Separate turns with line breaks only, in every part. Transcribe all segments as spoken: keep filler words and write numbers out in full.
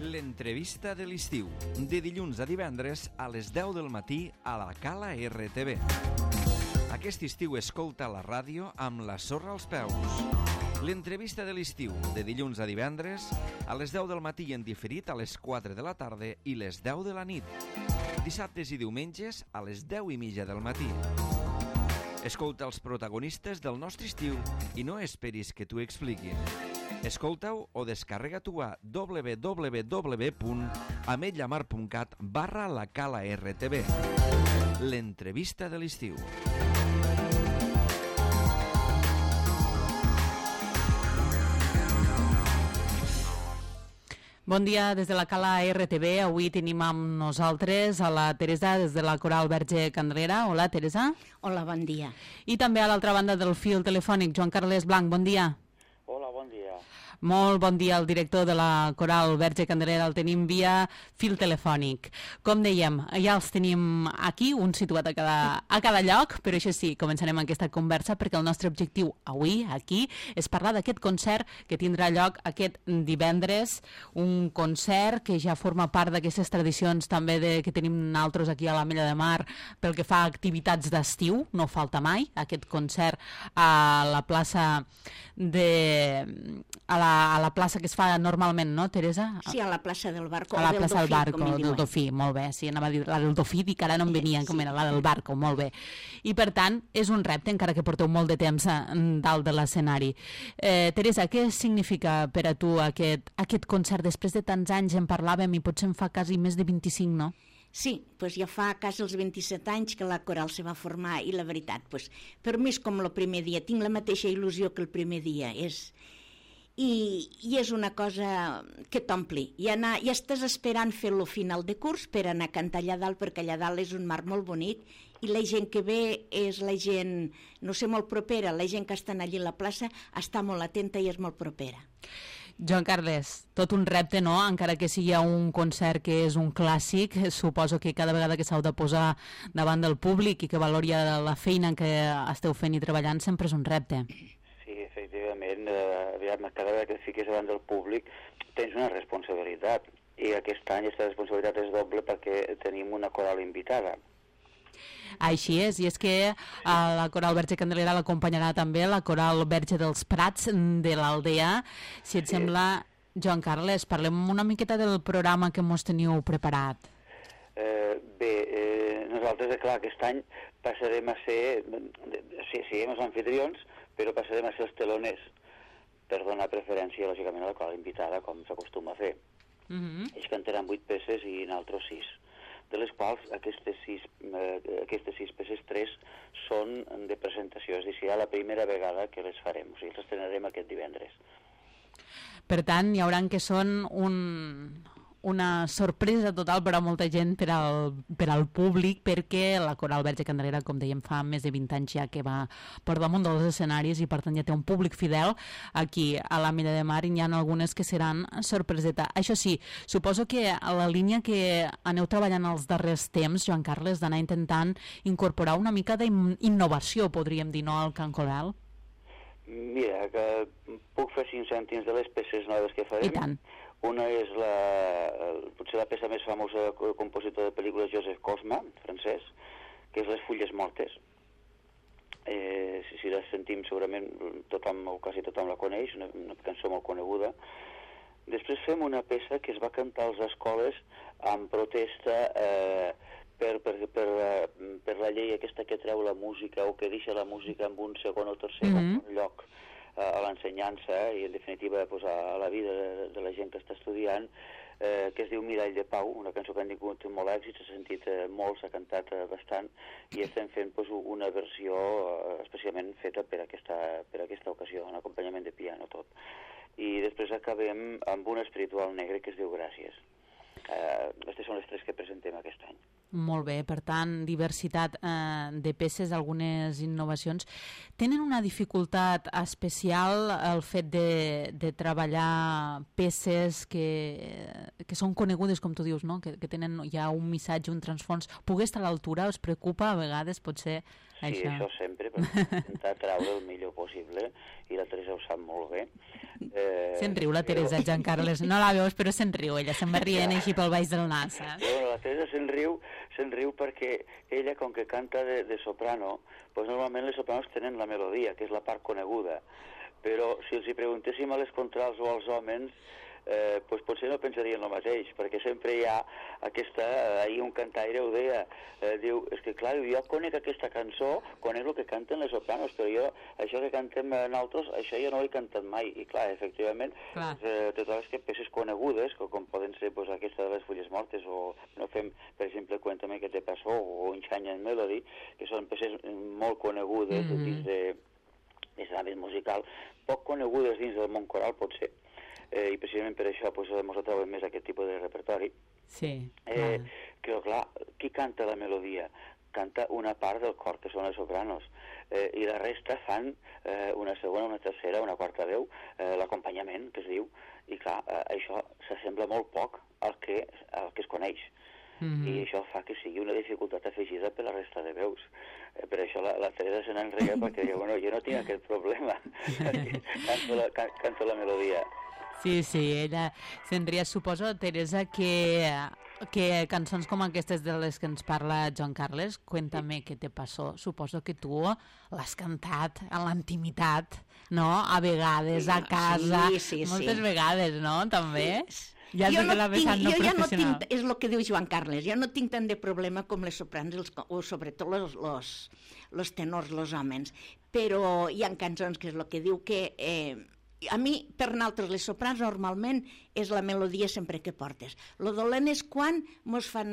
L'entrevista de l'estiu, de dilluns a divendres a les deu del matí a la Cala R T V. Aquest estiu escolta la ràdio amb la sorra als peus. L'entrevista de l'estiu, de dilluns a divendres a les deu del matí i en diferit a les quatre de la tarda i les deu de la nit. Dissabtes i diumenges a les deu i mitja del matí. Escolta els protagonistes del nostre estiu i no esperis que t'ho expliquin. Escolta-ho o descarrega-t'ho a w w w punt ametlla mar punt cat barra la Cala R T V. L'entrevista de l'estiu.
Bon dia des de la Cala R T V. Avui tenim amb nosaltres a la Teresa des de la Coral Verge Candelera. Hola, Teresa.
Hola, bon dia.
I també a l'altra banda del fil telefònic, Joan Carles Blanc. Bon dia.
Hola, bon dia.
Molt bon dia al director de la Coral Verge Candelera. El tenim via fil telefònic. Com dèiem, ja els tenim aquí, un situat a cada, a cada lloc, però això sí, començarem aquesta conversa perquè el nostre objectiu avui, aquí, és parlar d'aquest concert que tindrà lloc aquest divendres, un concert que ja forma part d'aquestes tradicions també de, que tenim nosaltres aquí a l'Ametlla de Mar pel que fa a activitats d'estiu, no falta mai, aquest concert a la plaça de... a la a la plaça que es fa normalment, no, Teresa?
Sí, a la plaça del Barco.
A la plaça del Barco,
del
del Dofí, molt bé. Sí, anava a dir la del Dofí, dic que ara no em venia, com era la del Barco, molt bé. I per tant, és un repte, encara que porteu molt de temps dalt de l'escenari. Eh, Teresa, què significa per a tu aquest, aquest concert? Després de tants anys en parlàvem i potser en fa quasi més de vint-i-cinc, no?
Sí, doncs ja fa quasi els vint-i-set anys que la Coral se va formar i la veritat, doncs, per mi és com el primer dia, tinc la mateixa il·lusió que el primer dia, és... I, i és una cosa que t'ompli. I anar, ja estàs esperant fer-lo final de curs per anar a cantar allà dalt, perquè allà dalt és un mar molt bonic i la gent que ve és la gent, no sé, molt propera. La gent que està allí a la plaça està molt atenta i és molt propera.
Joan Carles, tot un repte, no? Encara que sigui un concert que és un clàssic, suposo que cada vegada que s'heu de posar davant del públic i que valori la feina en què esteu fent i treballant sempre és un repte.
Efectivament, eh, aviam, cada vegada que et fiques davant del públic tens una responsabilitat i aquest any aquesta responsabilitat és doble perquè tenim una coral invitada.
Així és, i és que a la Coral Verge Candelera l'acompanyarà també la Coral Verge dels Prats de l'Aldea. Si et sí. sembla, Joan Carles, parlem una miqueta del programa que mos teniu preparat.
Eh, bé, eh, nosaltres, clar, aquest any passarem a ser, sí, sí, els anfitrions, però passarem a ser els teloners per donar preferència, lògicament, a la coral invitada, com s'acostuma a fer. Uh -huh. Ells cantaran vuit peces i nosaltres sis, de les quals aquestes sis, eh, aquestes sis peces, tres són de presentació, és a dir, serà la primera vegada que les farem, o sigui, les estrenarem aquest divendres.
Per tant, hi haurà que són un... una sorpresa total per a molta gent, per al, per al públic, perquè la Coral Verge Candelera, com dèiem, fa més de vint anys ja que va per damunt dels escenaris i per tant ja té un públic fidel aquí a l'Ametlla de Mar i n'hi ha algunes que seran sorpreseta. Això sí, suposo que a la línia que aneu treballant els darrers temps, Joan Carles, d'anar intentant incorporar una mica d'innovació, podríem dir, no, al cant coral?
Mira, que puc fer cinc cèntims de les peces noves que farem.
I tant.
Una és la, potser la peça més famosa del compositor de pel·lícules Joseph Cosma, francès, que és Les fulles mortes. Eh, si, si la sentim segurament tothom, o quasi tothom la coneix, una, una cançó molt coneguda. Després fem una peça que es va cantar a les escoles en protesta eh, per, per, per, per la llei aquesta que treu la música o que deixa la música en un segon o tercer mm-hmm. lloc a l'ensenyança i en definitiva pues, a la vida de, de la gent que està estudiant, eh, que es diu Mirall de Pau, una cançó que han tingut molt èxit, s'ha sentit eh, molt, s'ha cantat eh, bastant i estem fent pues, una versió eh, especialment feta per aquesta, per aquesta ocasió, un acompanyament de piano tot. I després acabem amb un espiritual negre que es diu Gràcies. Eh, aquestes són les tres que presentem aquest any.
Molt bé, per tant, diversitat eh, de peces, algunes innovacions. Tenen una dificultat especial el fet de, de treballar peces que, que són conegudes, com tu dius, no? que, que tenen ja un missatge, un transfons. Poder estar a l'altura us preocupa a vegades, potser,
sí,
això?
Sí, això sempre, per intentar treure el millor possible, i la Teresa ho sap molt bé. Eh,
se'n riu la Teresa, però... Joan Carles, no la veus, però se'n riu, ella se'n va rient així pel baix del nas. Eh?
Bueno, la Teresa se'n riu, se'n riu perquè ella, com que canta de, de soprano, pues normalment les sopranos tenen la melodia, que és la part coneguda, però si els hi preguntéssim a les contrals o als homes, eh, pues potser no pensarien el mateix, perquè sempre hi ha aquesta, ahir un cantaire ho deia, eh, diu, és que clar, jo conec aquesta cançó, conec el que canten les sopranos, però jo, això que cantem nosaltres, això jo no ho he cantat mai, i clar, efectivament, clar. Eh, totes les peces conegudes, com poden ser pues, aquesta de les fulles mortes, o no fem, per exemple, Cuéntame què te passó, o Enchanted Melody, que són peces molt conegudes mm-hmm. dins de, dins de l'àmbit musical, poc conegudes dins del món coral, potser, Eh, i precisament per això pues, ens trobem més aquest tipus de repertori.
Sí,
eh, que, clar, qui canta la melodia? Canta una part del cor, que són els sopranos, eh, i la resta fan eh, una segona, una tercera, una quarta veu, eh, l'acompanyament, que es diu, i clar, eh, això s'assembla molt poc al que, al que es coneix. Mm-hmm. I això fa que sigui una dificultat afegida per la resta de veus. Eh, per això la, la Teresa se n'enrega perquè diu, bueno, jo no tinc aquest problema, canto, la, can, canto la melodia.
Sí, sí, ella se'n ria. Suposo, Teresa, que, que cançons com aquestes de les que ens parla Joan Carles, Cuéntame què te passó, suposo que tu l'has cantat a l'intimitat, no? A vegades, a casa,
sí, sí,
moltes
sí.
vegades, no? També?
Sí.
Ja
jo no
la
tinc,
no
jo ja no
professional.
tinc, és el que diu Joan Carles, jo no tinc tant de problema com les sopranos, els, o sobretot los, los, los tenors, los homes, però hi ha cançons que és el que diu que... Eh, a mi, per nosaltres, les soprans, normalment és la melodia sempre que portes. Lo dolent és quan mos fan...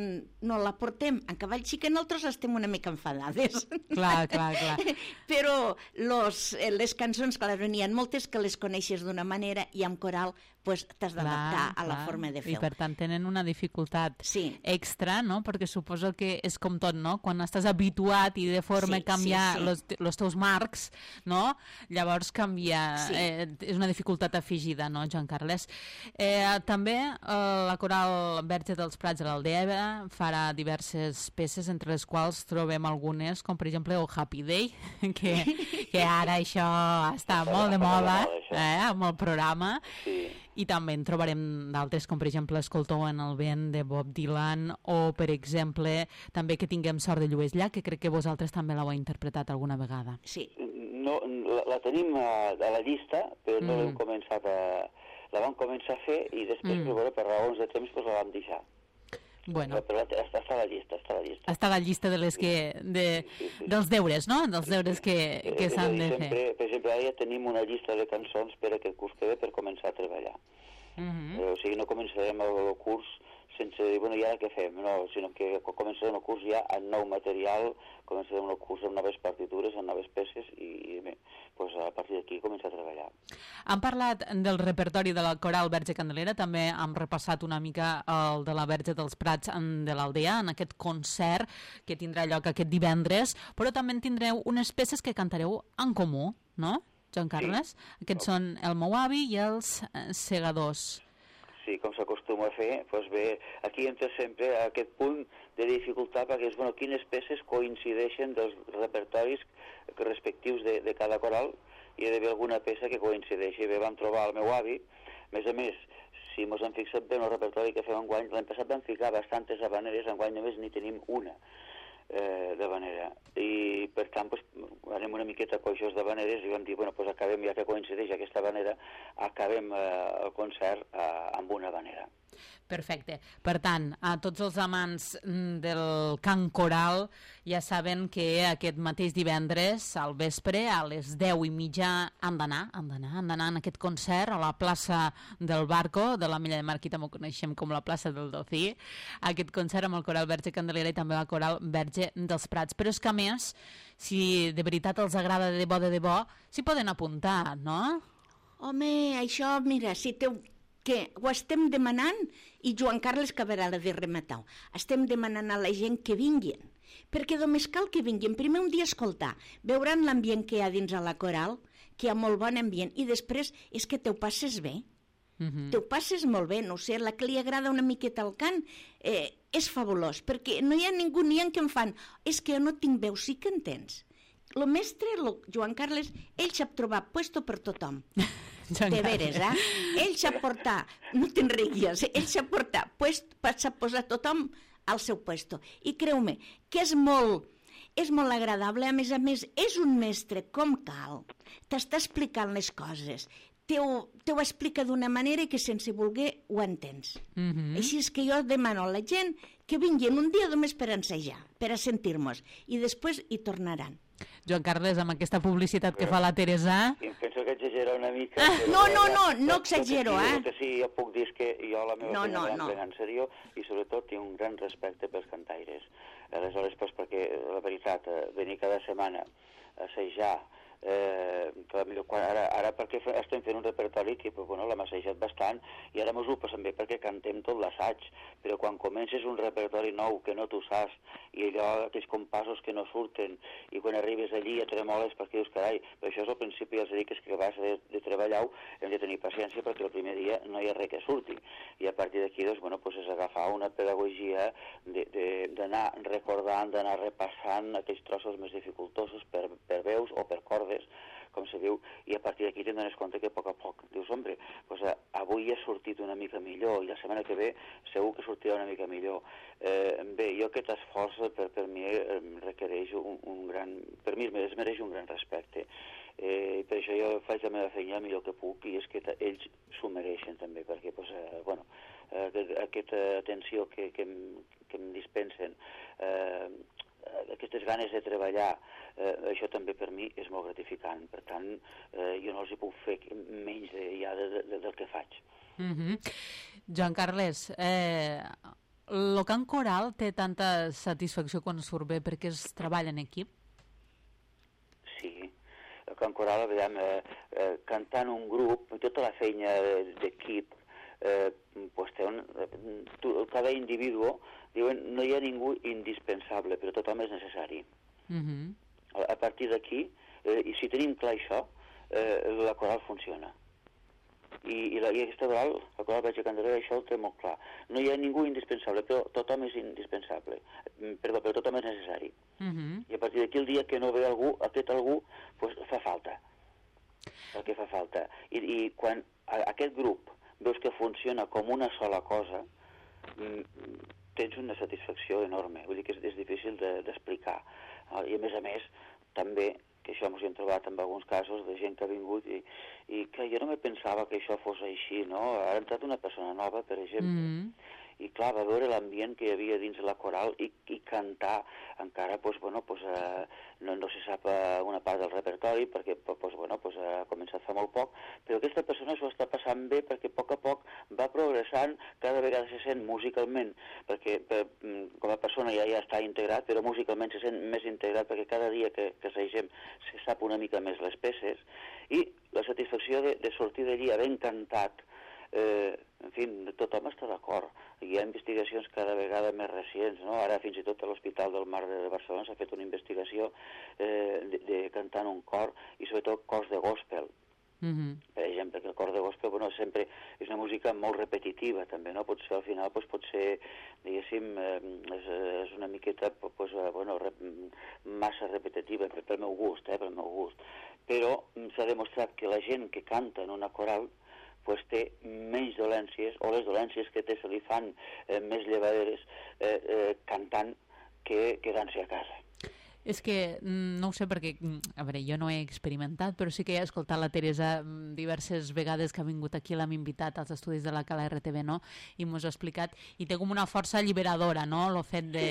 no la portem en cavall xic, nosaltres estem una mica enfadades.
Clar, clar, clar.
Però los, les cançons, clar, n'hi ha moltes que les coneixes d'una manera i amb coral pues, t'has d'adaptar a la forma de fer-ho.
I per tant tenen una dificultat
sí.
extra, no? Perquè suposo que és com tot, no? Quan estàs habituat i de forma sí, canviar sí, sí. Los, los teus marcs, no? Llavors canvia... Sí. Eh, és una dificultat afegida, no, Joan Carles? Eh, també eh, la coral Verge dels Prats de l'Aldea farà diverses peces, entre les quals trobem algunes, com per exemple el Happy Day, que, que ara això està molt de moda eh, amb el programa. Sí. I també en trobarem d'altres, com per exemple Escolteu en el vent de Bob Dylan, o per exemple també Que tinguem sort de Lluís Llach, que crec que vosaltres també l'heu interpretat alguna vegada.
Sí.
No, la, la tenim a, a la llista, però no mm. l'hem començat a... La vam començar a fer i després, mm. per, per raons de temps, pues, la vam deixar.
Bueno.
Però està, està a la llista, està a la llista.
Està a la llista de les que... De, sí, sí, sí. Dels deures, no? Dels deures que, que s'han de
sempre,
fer.
Per exemple, ara ja tenim una llista de cançons per aquest curs que ve per començar a treballar. Mm-hmm. eh, o sigui, no començarem el, el curs sense dir, bueno, i ara què fem? No, sinó que començarem el curs ja amb nou material, començarem el curs amb noves partitures, amb noves peces, i, i bé, pues a partir d'aquí començar a treballar.
Hem parlat del repertori de la coral Verge Candelera, també hem repassat una mica el de la Verge dels Prats de l'Aldea, en aquest concert que tindrà lloc aquest divendres, però també en tindreu unes peces que cantareu en comú, no, Joan Carles? Sí. Aquests no. són El meu avi i Els segadors.
Sí, com s'acostuma a fer, doncs bé, aquí entra sempre aquest punt de dificultat perquè és, bueno, quines peces coincideixen dels repertoris respectius de, de cada coral, i hi ha d'haver alguna peça que coincideixi. Bé, vam trobar el meu avi, a més a més, si mos hem fixat bé en el repertori que fem enguany, l'any passat vam ficar bastantes habaneres, enguany només n'hi tenim una eh, d'habanera, i per tant pues, anem una miqueta coixos d'habaneres i vam dir, bueno, pues acabem, ja que coincideix aquesta habanera, acabem eh, el concert eh, amb una habanera.
Perfecte. Per tant, a tots els amants del cant coral ja saben que aquest mateix divendres al vespre a les deu i mitja han d'anar, han d'anar, han d'anar en aquest concert a la plaça del Barco, de la Milla de Mar, aquí també ho coneixem com la plaça del Docí, aquest concert amb el coral Verge Candelera i també el coral Verge dels Prats. Però és que a més, si de veritat els agrada de debò, de debò, s'hi poden apuntar, no?
Home, això, mira, si té que ho estem demanant, i Joan Carles Cabrera de Rematau, estem demanant a la gent que vinguin, perquè només cal que vinguin, primer un dia a escoltar, veuran l'ambient que hi ha dins a la coral, que hi ha molt bon ambient, i després és que te ho passes bé, uh-huh. te ho passes molt bé, no sé, la que li agrada una miqueta el cant, eh, és fabulós, perquè no hi ha ningú ni en què em fan, és que jo no tinc veu, sí que entens. El mestre, lo, Joan Carles, ell sap trobar puesto per tothom. De veres, eh? Ell sap portar, no te'n riguis, ell sap portar, pues, sap posar tothom al seu puesto. I creu-me, que és molt, és molt agradable, a més a més, és un mestre com cal, t'està explicant les coses, te ho, te ho explica d'una manera que sense voler ho entens. Mm-hmm. Així és que jo demano a la gent que vinguin un dia només per ensejar, per a sentir-nos, i després hi tornaran.
Joan Carles, amb aquesta publicitat que fa la Teresa...
Sí, penso que exagera una mica...
Ah, no, no, no, no exagero, eh?
El que sí, jo puc dir és que jo la meva
no,
feina
no,
la
no.
prenc en sèrio i sobretot tinc un gran respecte pels cantaires. Aleshores, pues, perquè la veritat, venir cada setmana a assajar, eh, quan, ara, ara perquè estem fent un repertori que pues, bueno, l'hem assajat bastant i ara mos ho passem bé perquè cantem tot l'assaig, però quan comences un repertori nou que no tu saps i allò, aquells compassos que no surten i quan arribes allí ja tremoles perquè dius, carai, però això és al principi els dic que vas de, de treballar hem de tenir paciència perquè el primer dia no hi ha res que surti i a partir d'aquí doncs, bueno, pues és agafar una pedagogia d'anar recordant, d'anar repassant aquells trossos més dificultosos per, per veus o per cordes com se diu, i a partir d'aquí te'n dones compte que a poc a poc dius, hombre, pues, avui ha sortit una mica millor i la setmana que ve segur que sortirà una mica millor. Eh, bé, jo aquest esforç per, per mi eh, requereix un, un gran... Per mi es mereix un gran respecte. Eh, per això jo faig la meva feina el millor que puc i és que ells s'ho mereixen també, perquè pues, eh, bueno, eh, aquesta atenció que, que, em, que em dispensen, eh, aquestes ganes de treballar, eh, això també per mi és molt gratificant. Per tant, eh, jo no els hi puc fer menys de, ja de, de, del que faig.
Mm-hmm. Joan Carles, eh, el cant coral té tanta satisfacció quan surt bé perquè es treballa en equip?
Sí, el cant coral, veiem, eh, eh, cantant un grup, tota la feina d'equip, eh, pues té un, tu, cada individu diuen no hi ha ningú indispensable, però tothom és necessari. Mm-hmm. a, a partir d'aquí, eh, i si tenim clar això, eh, la coral funciona. I, i, la, i aquesta coral, la coral Verge Candelera, això ho té molt clar. No hi ha ningú indispensable, però tothom és indispensable. Perdó, però tothom és necessari. Mm-hmm. I a partir d'aquí, el dia que no ve algú, aquest algú pues, fa falta. El que fa falta. I, i quan a, aquest grup veus que funciona com una sola cosa, tens una satisfacció enorme. Vull dir que és, és difícil d'explicar. De, I a més a més, també, que això ens hi hem trobat en alguns casos de gent que ha vingut i, i que jo no me pensava que això fos així, no? Ha entrat una persona nova, per exemple, mm-hmm. i clar, va veure l'ambient que hi havia dins la coral i, i cantar encara, pues, bueno, pues, eh, no, no se sap eh, una part del repertori perquè pues, bueno, pues, eh, ha començat fa molt poc, però aquesta persona s'ho està passant bé perquè a poc a poc va progressant, cada vegada se sent musicalment, perquè per, com a persona ja, ja està integrat, però musicalment se sent més integrat perquè cada dia que, que assagem se sap una mica més les peces i la satisfacció de, de sortir d'allí havent cantat. Eh, en fi, tothom està d'acord. Hi ha investigacions cada vegada més recents, no? Ara fins i tot a l'Hospital del Mar de Barcelona s'ha fet una investigació eh, de, de cantar en un cor i sobretot cors de gospel. Mm-hmm. Per exemple, que el cor de gospel bueno, sempre és una música molt repetitiva també, no? Pot ser, al final doncs, pot ser, diguéssim, eh, és, és una miqueta pues, bueno, rep, massa repetitiva pel meu gust, eh, pel meu gust. Però s'ha demostrat que la gent que canta en una coral pues té menys dolències, o les dolències que té se li fan eh, més llevaderes eh, eh, cantant que quedant-se a casa.
És que, no ho sé, perquè, a veure, jo no he experimentat, però sí que he escoltat la Teresa diverses vegades que ha vingut aquí, l'hem invitat als estudis de la Cala R T V, no? I mos ha explicat, i té com una força alliberadora, no?, el fet de,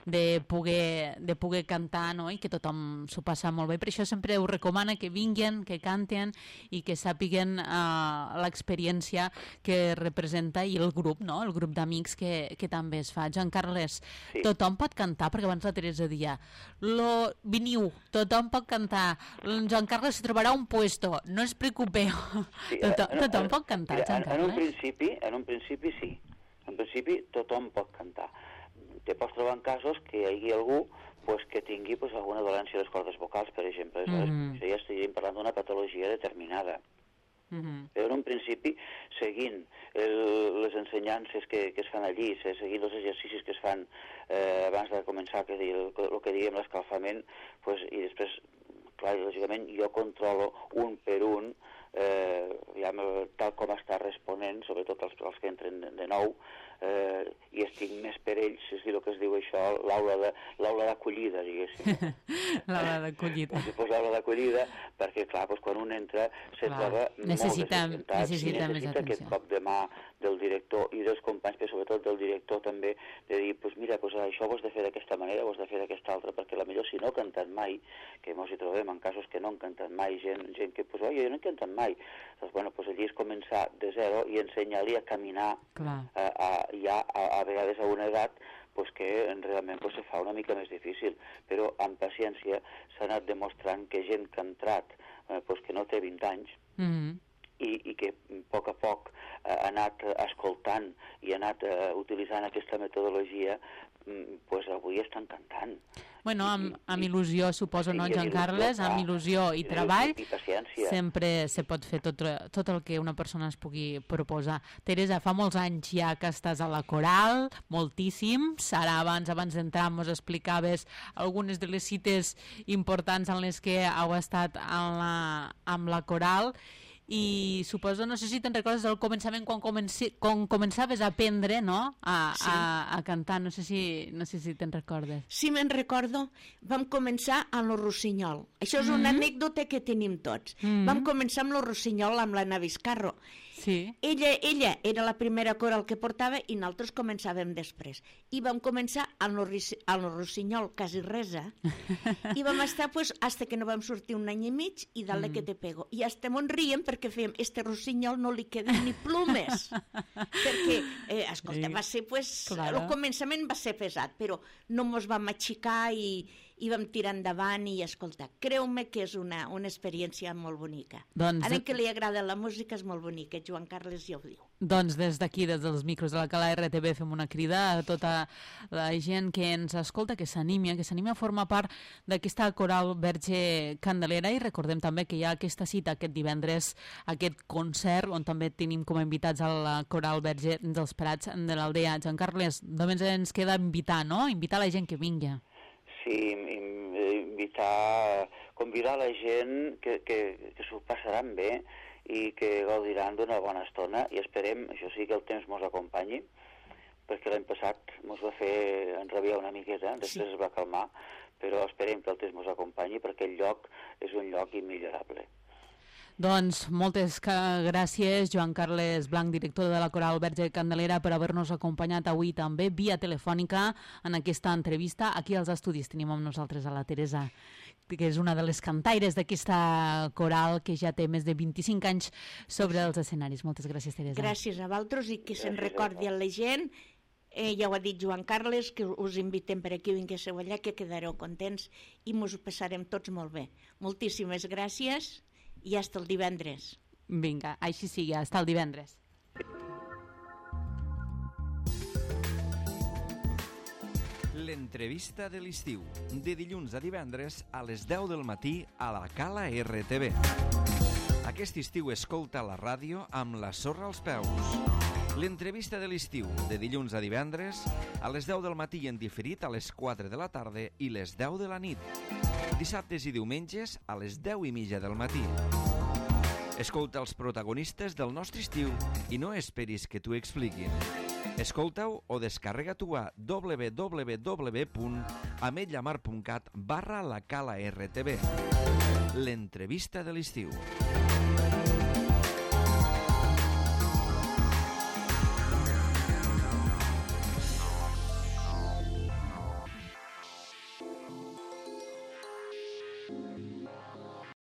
de, poder, de poder cantar, no?, i que tothom s'ho passa molt bé. Per això sempre ho recomana que vinguin, que canten i que sàpiguen uh, l'experiència que representa i el grup, no?, el grup d'amics que, que també es fa. Joan Carles, sí. Tothom pot cantar, perquè abans la Teresa dia, lo to, veniu, tothom pot cantar, Joan Carles se trobarà un puesto, no us preocupeu.
Sí,
tothom,
en,
tothom
en,
pot cantar,
mira,
Joan
en, en un
Carles?
principi, en un principi sí. En principi tothom pot cantar. Te pots trobar en casos que hi hagi algú pues, que tingui pues, alguna dolència a les cordes vocals, per exemple. Mm-hmm. Això ja estaríem parlant d'una patologia determinada. Mm-hmm. Però en un principi, seguint el, les ensenyances que, que es fan allí, seguint els exercicis que es fan eh, abans de començar que el, el que diguem l'escalfament, pues, i després, clar, lògicament, jo controlo un per un, eh, ja, tal com està responent, sobretot els, els que entren de, de nou, eh, i estic més per ells, és dir, el que es diu això, l'aula l'aula d'acollida, diguéssim.
L'aula d'acollida.
Si fos l'aula d'acollida, perquè, clar, doncs, quan un entra se
clar.
troba
necessita,
molt desorientat
necessita,
i necessita aquest cop de mà del director i dels companys, però sobretot del director també, de dir, pues mira, pues això ho has de fer d'aquesta manera, ho has de fer d'aquesta altra, perquè la millor si no ha cantat mai, que ens hi trobem en casos que no han cantat mai, gent, gent que, pues, oi, jo no he cantat mai, doncs, bueno, pues allí és començar de zero i ensenyar-li a caminar a, a, ja a, a vegades a una edat pues que realment pues, se fa una mica més difícil, però amb paciència s'ha anat demostrant que gent que ha entrat, eh, pues, que no té vint anys, mm-hmm. i, i que a poc a poc eh, ha anat escoltant i ha anat eh, utilitzant aquesta metodologia, mm, pues avui estan cantant.
Bueno, amb, amb il·lusió, suposo, no, Joan Carles? Amb il·lusió i treball sempre se pot fer tot, tot el que una persona es pugui proposar. Teresa, fa molts anys ja que estàs a la coral, moltíssims. Ara, abans abans d'entrar, ens explicaves algunes de les cites importants en les que heu estat en la, amb la coral. I suposo, no sé si te'n recordes del començament quan, comenci, quan començaves a aprendre, no?, a, sí. a, a cantar, no sé si, no sé si te'n recordes.
Sí, me'n recordo, vam començar amb lo Rossinyol. Això és mm-hmm. una anècdota que tenim tots. Mm-hmm. Vam començar amb lo Rossinyol, amb l'Anna Vizcarro. Sí. Ella, ella era la primera coral que portava i nosaltres començàvem després. I vam començar amb lo, amb lo Rossinyol, quasi resa, i vam estar, pues, hasta que no vam sortir un any i mig, i dale mm. que te pego. I hasta mon riem perquè fèiem, este Rossinyol no li queden ni plumes. perquè, eh, escolta, va ser, pues, claro. El començament va ser pesat, però no mos vam aixecar i, i vam tirar endavant i, escolta, creu-me que és una, una experiència molt bonica. Doncs... Ara que li agrada la música és molt bonica, Joan Carles ja ho diu.
Doncs des d'aquí, des dels micros de la Cala R T V, fem una crida a tota la gent que ens escolta, que s'animi, que s'animi a formar part d'aquesta coral Verge Candelera, i recordem també que hi ha aquesta cita aquest divendres, aquest concert, on també tenim com a invitats a la coral Verge dels Prats de l'Aldea. Joan Carles, només ens queda invitar, no? Invitar la gent que vingui.
Sí, invitar, convidar la gent que, que, que s'ho passaran bé i que gaudiran d'una bona estona, i esperem, això sí, que el temps mos acompanyi, perquè l'any passat mos va fer enrabiar una miqueta, després sí. Es va calmar, però esperem que el temps mos acompanyi perquè el lloc és un lloc immillorable.
Doncs moltes gràcies, Joan Carles Blanc, director de la Coral Verge Candelera, per haver-nos acompanyat avui també via telefònica en aquesta entrevista. Aquí als estudis tenim amb nosaltres a la Teresa, que és una de les cantaires d'aquesta coral que ja té més de vint-i-cinc anys sobre els escenaris. Moltes gràcies, Teresa.
Gràcies a vosaltres i que se'n recordi a la gent. Eh, ja ho ha dit Joan Carles, que us invitem per aquí, vinguéssiu allà, que quedareu contents i mos ho passarem tots molt bé. Moltíssimes gràcies. I hasta el divendres.
Vinga, així sigui, hasta el divendres.
L'entrevista de l'estiu, de dilluns a divendres a les deu del matí a la Cala R T V. Aquest estiu escolta la ràdio amb la sorra als peus. L'entrevista de l'estiu, de dilluns a divendres a les deu del matí i en diferit a les quatre de la tarda i les deu de la nit. Dissabtes i diumenges a les deu i mitja del matí. Escolta els protagonistes del nostre estiu i no esperis que t'ho expliquin. Escolta-ho o descarrega-t'ho a w w w punt ametlla mar punt cat barra la Cala R T V. L'entrevista de l'estiu.